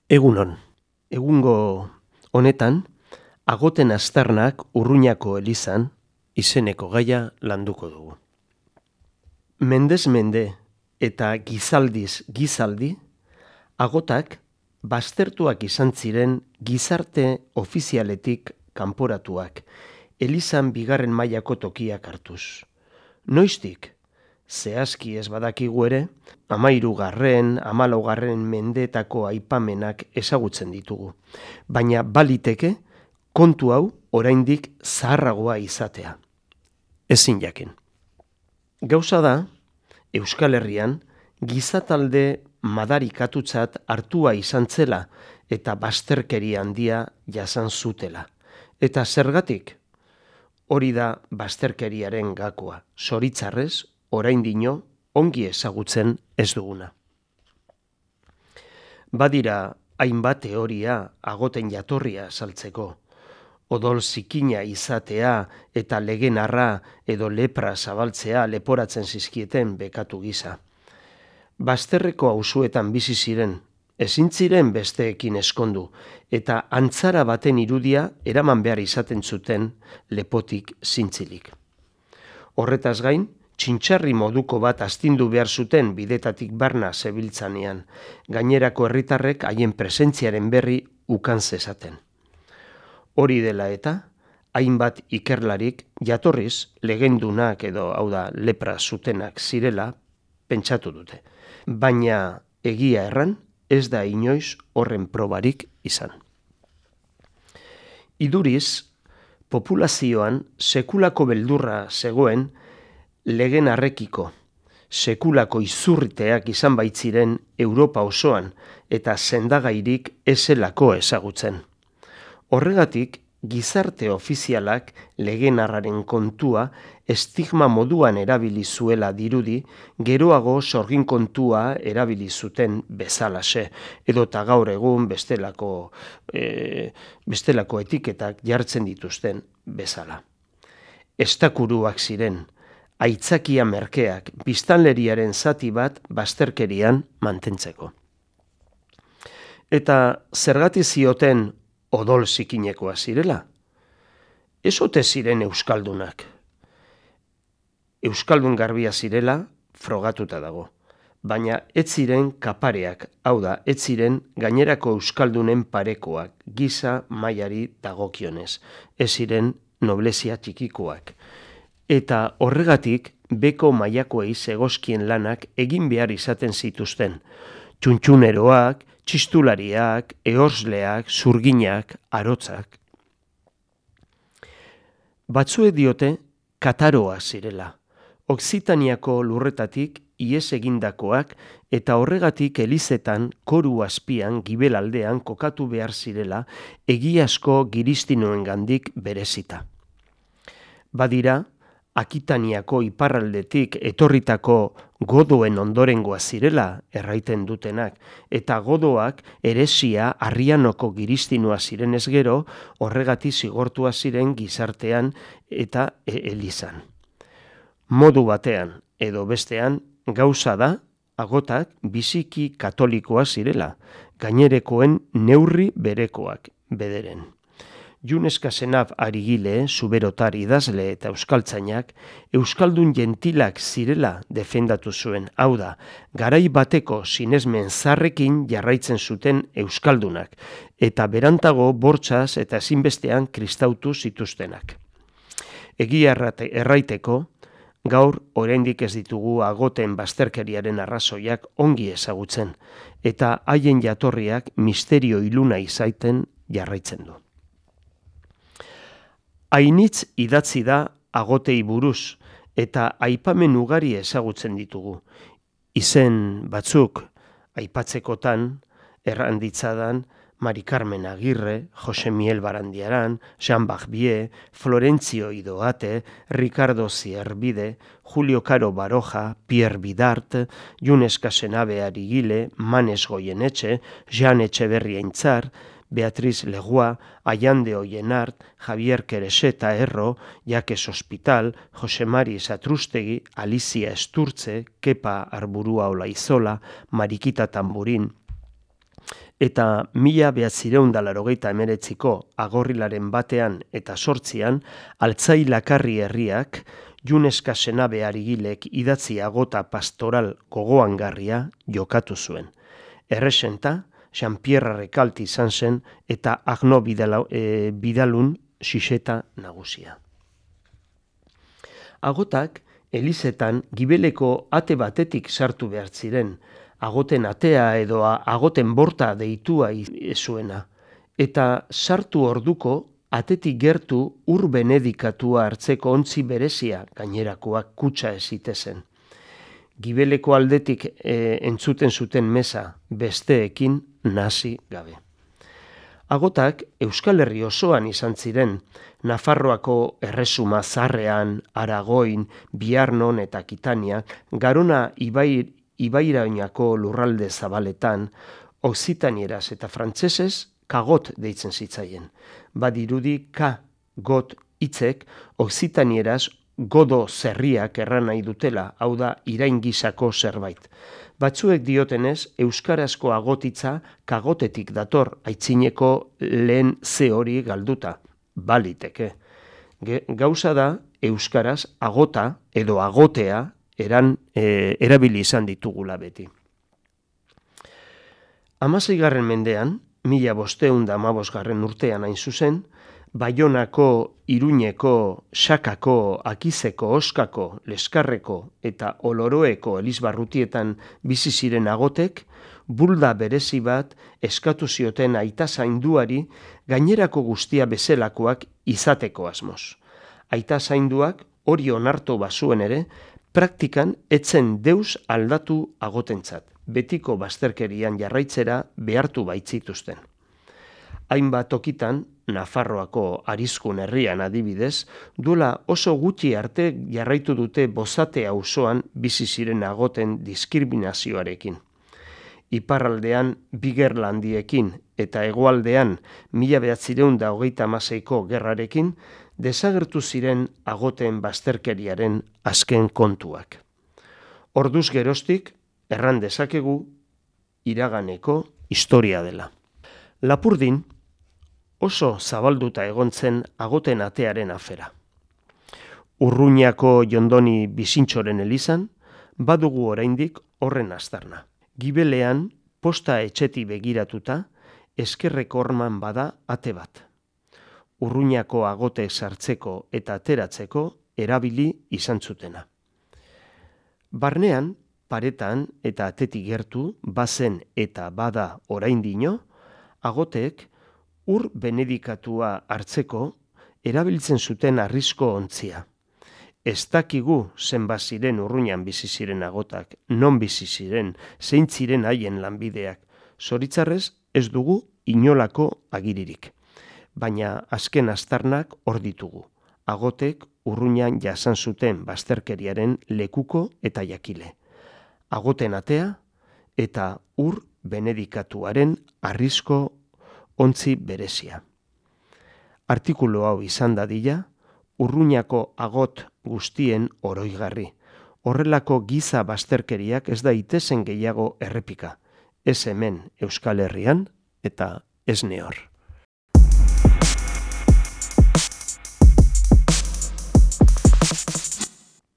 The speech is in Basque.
Egunon, egungo honetan, Agoten aztarnak Urruñako elizan izeneko gaia landuko dugu. Mendez mende eta gizaldiz gizaldi, agotak baztertuak izan ziren gizarte ofizialetik kanporatuak, elizan bigarren mailako tokiak hartuz. Noiztik? Zehazki ez badakigu ere, 13., 14. mendeetako aipamenak ezagutzen ditugu. Baina baliteke, kontu hau oraindik zaharragoa izatea. Ezin jakin. Gauza da, Euskal Herrian, gizatalde madarikatutzat hartua izan zela eta bazterkeria handia jasan zutela. Eta zergatik? Hori da bazterkeriaren gakoa. Zoritzarrez, oraindino ongi ezagutzen ez duguna. Badira hainbat teoria agoten jatorria saltzeko. Odol zikina izatea eta legenarra edo lepra zabaltzea leporatzen zizkieten bekatu gisa. Bazterreko auzuetan bizi ziren, ezin ziren besteekin eskondu, eta antzara baten irudia eraman behar izaten zuten lepotik zintzilik. Horretaz gain, txintxarri moduko bat astindu behar zuten bidetatik barna zebiltzanean, gainerako herritarrek haien presentziaren berri ukan zezaten. Hori dela eta, hainbat ikerlarik jatorriz legendunak edo hau da lepra zutenak zirela pentsatu dute. Baina egia erran ez da inoiz horren probarik izan. Iduriz, populazioan sekulako beldurra zegoen legen arrekiko, sekulako izurriteak izan baitziren Europa osoan eta sendagairik ezelako ezagutzen. Horregatik, gizarte ofizialak legenarraren kontua estigma moduan erabili zuela dirudi, geroago sorgin kontua erabili zuten bezalaxe, edota gaur egun bestelako etiketak jartzen dituzten bezala. Estakuruak ziren, aitzakia merkeak biztanleriaren zati bat bazterkerian mantentzeko. Eta zergatik zioten odol zikinekoa zirela? Ez ote ziren euskaldunak. Euskaldun garbia zirela frogatuta dago, baina ez ziren kapareak, hau da, ez ziren gainerako euskaldunen parekoak, giza mailari dagokionez, ez ziren noblezia txikikoak. Eta horregatik beko mailakoei zegozkien lanak egin behar izaten zituzten, txuntxuneroak, txistulariak, ehorzleak, zurginak, arotzak. Batzuek diote kataroa zirela, Okzitaniako lurretatik ihes egindakoak eta horregatik elizetan koru azpian gibelaldean kokatu behar zirela egiazko giristinoengandik berezita. Badira, Akitaniako iparraldetik etorritako godoen ondorengoa zirela erraiten dutenak, eta godoak heresia Arrianoko giristinoa zirenez gero, horregatik zigortua ziren gizartean eta elizan. Modu batean edo bestean gauza da agotak biziki katolikoa zirela, gainerekoen neurri berekoak bederen. Juneska Senab Arigile, zuberotar idazle eta euskaltzainak, euskaldun gentilak zirela defendatu zuen, hau da, garai bateko sinesmen zarrekin jarraitzen zuten euskaldunak, eta berantago bortxaz eta ezinbestean kristautu zituztenak. Egia erraiteko, gaur oraindik ez ditugu agoten bazterkeriaren arrazoiak ongi ezagutzen, eta haien jatorriak misterio iluna izaiten jarraitzen du. Ainitz idatzi da agotei buruz, eta aipamen ugari ezagutzen ditugu. Izen batzuk aipatzekotan, erranditzadan, Mari Carmen Agirre, Jose Miel Barandiaran, Jean Barbier, Florentzio Idoate, Ricardo Zierbide, Julio Caro Baroja, Pierre Bidart, Juneska Senabe Arigile, Manes Goyenetxe, Jean Etxeberria Intzar, Beatriz Legua, Allande Oyenart, Javier Quereseta Erro, Jakes Hospital, Jose Mari Satrustegi, Alicia Esturtze, Kepa Arburua Olaizola, Marikita Tamburin, eta 1989ko agorrilaren batean eta 8an Altzai Lakarri herriak Juneska senabe Arigilek idatzi agota pastoral gogoangarria jokatu zuen. Erresenta, Jean-Pierre Recalti izan zen eta Agno Bidalun xixeta nagusia. Agotak elizetan gibeleko ate batetik sartu behar ziren, agoten atea edo agoten borta deitua zuena, eta sartu orduko atetik gertu ur benedikatua hartzeko ontzi berezia gainerakoak kutsa ezitezen. Gibeleko aldetik entzuten zuten meza besteekin nahasi gabe. Agotak Euskal Herri osoan izan ziren, Nafarroako Erresuma Zarrean, Aragoin, Biarnon eta Kitania, Garona ibairainako lurralde zabaletan, Okzitanieraz eta frantsesez kagot deitzen zitzaien. Badirudi got hitzek Okzitanieraz godo zerriak erran nahi dutela, hau da irain gisako zerbait. Batzuek diotenez, euskarazko agotitza kagotetik dator aitzineko lehen ze hori galduta. Baliteke. Gauza da, euskaraz agota edo agotea erabili izan ditugula beti. 16. mendean, 1515 urtean hain zuzen, Baionako, Iruñeko, Sakako, Akizeko, Oskako, Leskarreko eta Oloroeko elizbarrutietan bizi ziren agotek, bulda berezi bat eskatu zioten aita zainduari gainerako guztia bezelakoak izateko asmoz. Aita zainduak hori onartu bazuen ere, praktikan etzen deus aldatu agotentzat, betiko bazterkerian jarraitzera behartu baitzituzten. Hainbat tokitan, Nafarroako Arizkun herrian adibidez, duela oso gutxi arte jarraitu dute Bozate auzoan bizi ziren agoten diskriminazioarekin. Iparraldean Bigerlandiekin eta hegoaldean 1936ko gerrarekin desagertu ziren agoten bazterkeriaren azken kontuak. Orduz geroztik, erran dezakegu iraganeko historia dela. Lapurdin, oso zabalduta egon zen agoten atearen afera. Urruñako Jondoni Bizintxoren elizan, badugu oraindik horren aztarna. Gibelean, posta etxeti begiratuta, eskerreko horman bada ate bat. Urruñako agote sartzeko eta ateratzeko erabili izan zutena. Barnean, paretan eta atetik gertu, bazen eta bada oraindino, agoteek ur benedikatua hartzeko erabiltzen zuten harrizko ontzia. Ez dakigu zenbat ziren Urruñan bizi ziren agotak, non bizi ziren, zein ziren haien lanbideak. Zoritzarrez ez dugu inolako agiririk. Baina azken aztarnak hor ditugu. Agotek Urruñan jasan zuten bazterkeriaren lekuko eta jakile. Agoten atea eta ur benedikatuaren harrizko ontzi berezia. Artikulu hau izan dadila, Urruñako agot guztien oroigarri. Horrelako giza bazterkeriak ez daitezen gehiago errepika. Ez hemen Euskal Herrian eta ez nehor.